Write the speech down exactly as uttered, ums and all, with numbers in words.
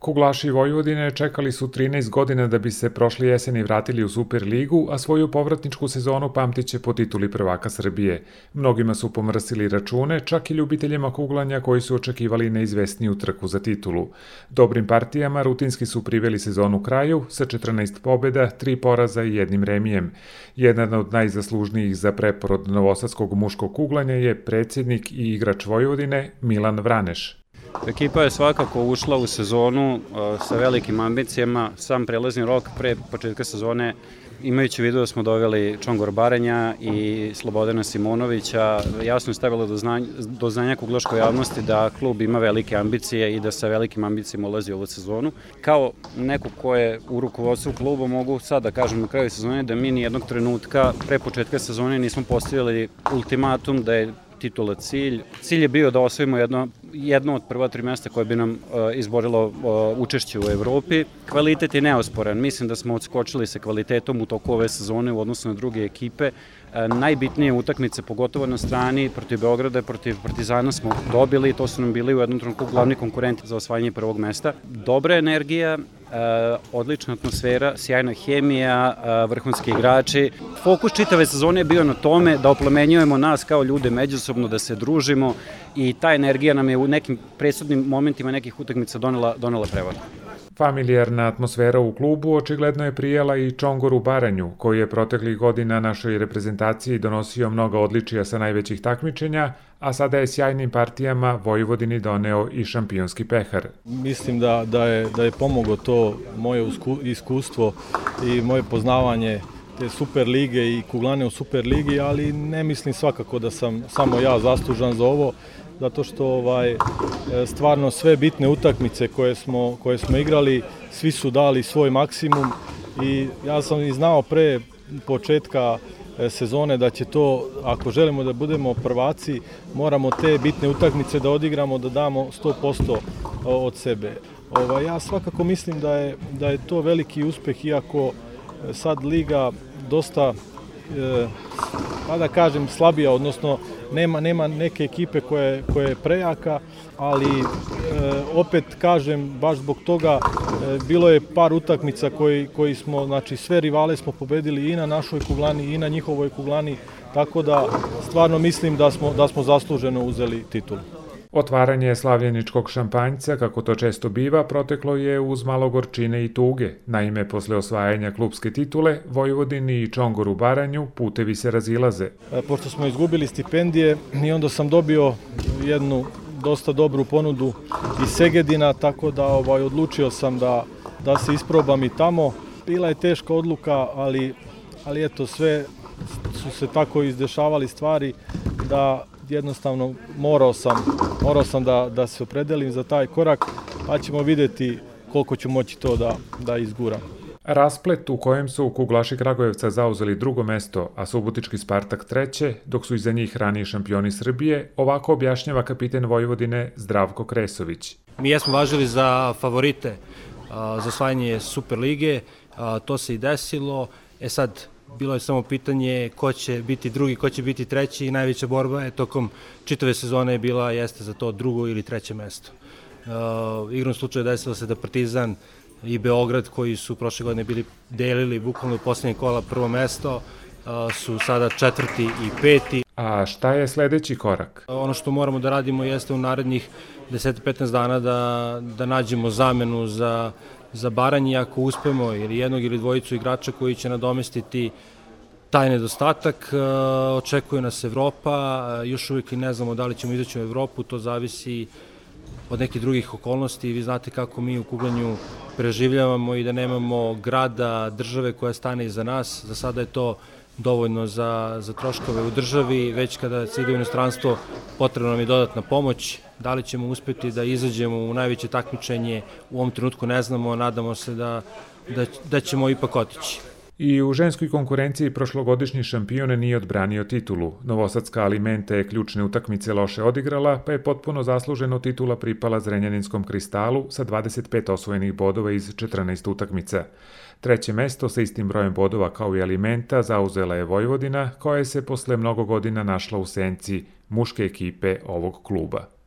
Kuglaši Vojvodine čekali su trinaest godina da bi se prošle jeseni vratili u Superligu, a svoju povratničku sezonu pamtiće po tituli prvaka Srbije. Mnogima su pomrsili račune, čak i ljubiteljima kuglanja koji su očekivali neizvesniju trku za titulu. Dobrim partijama rutinski su priveli sezonu kraju sa četrnaest pobjeda, tri poraza i jednim remijem. Jedan od najzaslužnijih za preporod novosadskog muškog kuglanja je predsjednik i igrač Vojvodine Milan Vraneš. Ekipa je svakako ušla u sezonu sa velikim ambicijama. Sam prelazni rok pre početka sezone, imajući u vidu da smo doveli Čongor Baranja i Slobodana Simonovića, jasno je stavilo do znanja, do znanja kuglaškoj javnosti da klub ima velike ambicije i da sa velikim ambicijama ulazi u ovu sezonu. Kao neko ko je u rukovodstvu kluba, mogu sad da kažem na kraju sezone da mi ni jednog trenutka pre početka sezone nismo postavili ultimatum da je titula cilj. Cilj je bio da osvojimo jedno, jedno od prva tri mesta koje bi nam uh, izborilo uh, učešće u Evropi. Kvalitet je neosporan. Mislim da smo odskočili sa kvalitetom u toku ove sezone u odnosu na druge ekipe. Uh, najbitnije utakmice, pogotovo na strani, protiv Beograda, protiv Partizana smo dobili. To su nam bili u jednom trenutku glavni konkurenti za osvajanje prvog mesta. Dobra energija, Uh, odlična atmosfera, sjajna hemija, uh, vrhunski igrači. Fokus čitave sezone je bio na tome da oplemenjujemo nas kao ljude međusobno, da se družimo i ta energija nam je u nekim presudnim momentima nekih utakmica donela, donela prevaru. Familijarna atmosfera u klubu očigledno je prijala i Čongoru Baranju, koji je proteklih godina našoj reprezentaciji donosio mnoga odličija sa najvećih takmičenja, a sada je sjajnim partijama Vojvodini doneo i šampionski pehar. Mislim da, da, je, da je pomoglo to moje iskustvo i moje poznavanje te Super lige i kuglane u Super ligi, ali ne mislim svakako da sam samo ja zaslužan za ovo, zato što ovaj, stvarno sve bitne utakmice koje smo, koje smo igrali, svi su dali svoj maksimum i ja sam i znao pre početka sezone da će to, ako želimo da budemo prvaci, moramo te bitne utakmice da odigramo, da damo sto posto od sebe. Ovaj, ja svakako mislim da je, da je to veliki uspeh, iako sad liga dosta, pa da kažem, slabija, odnosno nema, nema neke ekipe koje, koje je prejaka, ali e, opet kažem, baš zbog toga e, bilo je par utakmica koji, koji smo, znači sve rivale smo pobedili i na našoj kuglani i na njihovoj kuglani, tako da stvarno mislim da smo, da smo zasluženo uzeli titulu. Otvaranje slavljeničkog šampanjca, kako to često biva, proteklo je uz malo gorčine i tuge. Naime, posle osvajanja klubske titule, Vojvodini i Čongoru Baranju putevi se razilaze. Pošto smo izgubili stipendije i onda sam dobio jednu dosta dobru ponudu iz Segedina, tako da ovaj, odlučio sam da, da se isprobam i tamo. Bila je teška odluka, ali, ali eto, sve su se tako izdešavali stvari da jednostavno morao sam, morao sam da, da se opredelim za taj korak, pa ćemo vidjeti koliko ću moći to da, da izguram. Rasplet u kojem su kuglaši Kragujevca zauzeli drugo mesto, a Subotički Spartak treće, dok su iza njih raniji šampioni Srbije, ovako objašnjava kapiten Vojvodine Zdravko Kresović. Mi jesmo važili za favorite a, za osvajanje Super lige, a, to se i desilo, e sad bilo je samo pitanje ko će biti drugi, ko će biti treći i najveća borba je tokom čitave sezone je bila jeste za to drugo ili treće mesto. Uh, igrom slučaju desilo se da Partizan i Beograd, koji su prošle godine bili delili bukvalno u poslednje kola prvo mesto, uh, su sada četvrti i peti. A šta je sledeći korak? Ono što moramo da radimo jeste u narednih deset do petnaest dana da, da nađemo zamenu za za Baranje, ako uspemo ili jednog ili dvojicu igrača koji će nadomestiti taj nedostatak. Očekuje nas Evropa, još uvijek i ne znamo da li ćemo izaći u Evropu, to zavisi od nekih drugih okolnosti. Vi znate kako mi u kuglanju preživljavamo i da nemamo grada, države koja stane iza nas. Za sada je to dovoljno za, za troškove u državi, već kada se ide u inostranstvo potrebna nam je dodatna pomoć. Da li ćemo uspjeti da izađemo u najveće takmičenje, u ovom trenutku ne znamo, nadamo se da, da, da ćemo ipak otići. I u ženskoj konkurenciji prošlogodišnji šampion nije odbranio titulu. Novosadska Alimenta je ključne utakmice loše odigrala, pa je potpuno zasluženo titula pripala Zrenjaninskom Kristalu sa dvadeset pet osvojenih bodova iz četrnaest utakmica. Treće mesto sa istim brojem bodova kao i Alimenta zauzela je Vojvodina, koja je se posle mnogo godina našla u senci muške ekipe ovog kluba.